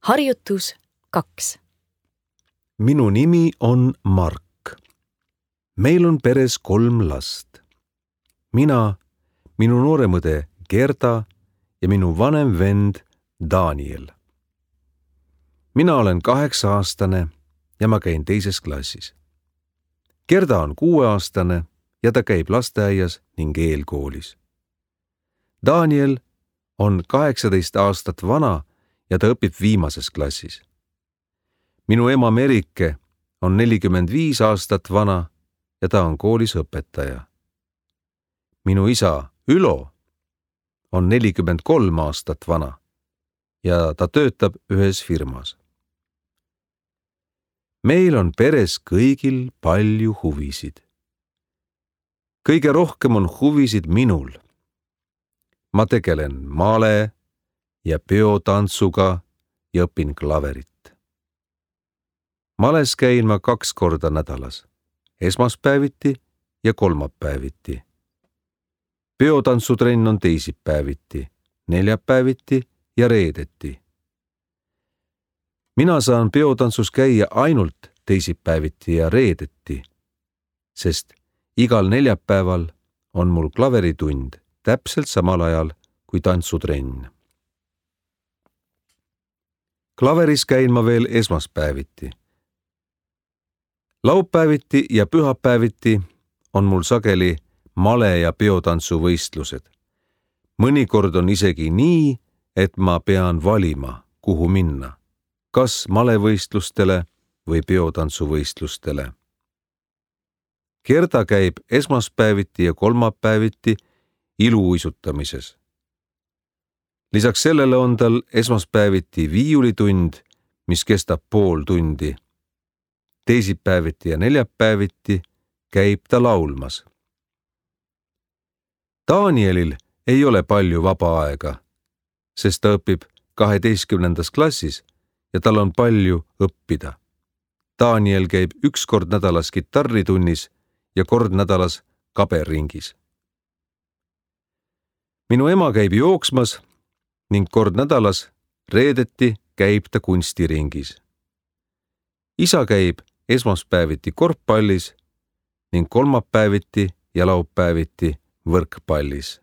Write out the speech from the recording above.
Harjutus 2. Minu nimi on Mark. Meil on peres 3 last. Mina, minu noorem õde Gerda ja minu vanem vend Daniel. Mina olen 8-aastane ja ma käin 2. klassis. Gerda on 6-aastane ja ta käib lasteaias ning eelkoolis. Daniel on 18 aastat vana ja ta õpib viimases klassis. Minu ema Merike on 45 aastat vana ja ta on koolis õpetaja. Minu isa Ülo on 43 aastat vana ja ta töötab ühes firmas. Meil on peres kõigil palju huvisid. Kõige rohkem on huvisid minul. Ma tegelen male ja peotantsuga ja õpin klaverit. Males käin ma 2 korda nädalas, esmaspäeviti ja kolmapäeviti. Peotantsutrenn on teisipäeviti, neljapäeviti ja reedeti. Mina saan peotantsus käia ainult teisipäeviti ja reedeti, sest igal neljapäeval on mul klaveritund täpselt samal ajal kui tantsutrenn. Klaveris käin ma veel esmaspäeviti. Laupäeviti ja pühapäeviti on mul sageli male- ja peotantsuvõistlused. Mõnikord on isegi nii, et ma pean valima, kuhu minna, kas malevõistlustele või peotantsuvõistlustele. Gerda käib esmaspäeviti ja kolmapäeviti iluuisutamises. Lisaks sellele on tal esmaspäeviti viiulitund, mis kestab pool tundi. Teisipäeviti ja neljapäeviti käib ta laulmas. Danielil ei ole palju vaba aega, sest ta õpib 12. klassis ja tal on palju õppida. Daniel käib 1 kord nädalas kitarritunnis ja kord nädalas kaberringis. Minu ema käib jooksmas ning kord nädalas reedeti käib ta kunstiringis. Isa käib esmaspäeviti korvpallis ning kolmapäeviti ja laupäeviti võrkpallis.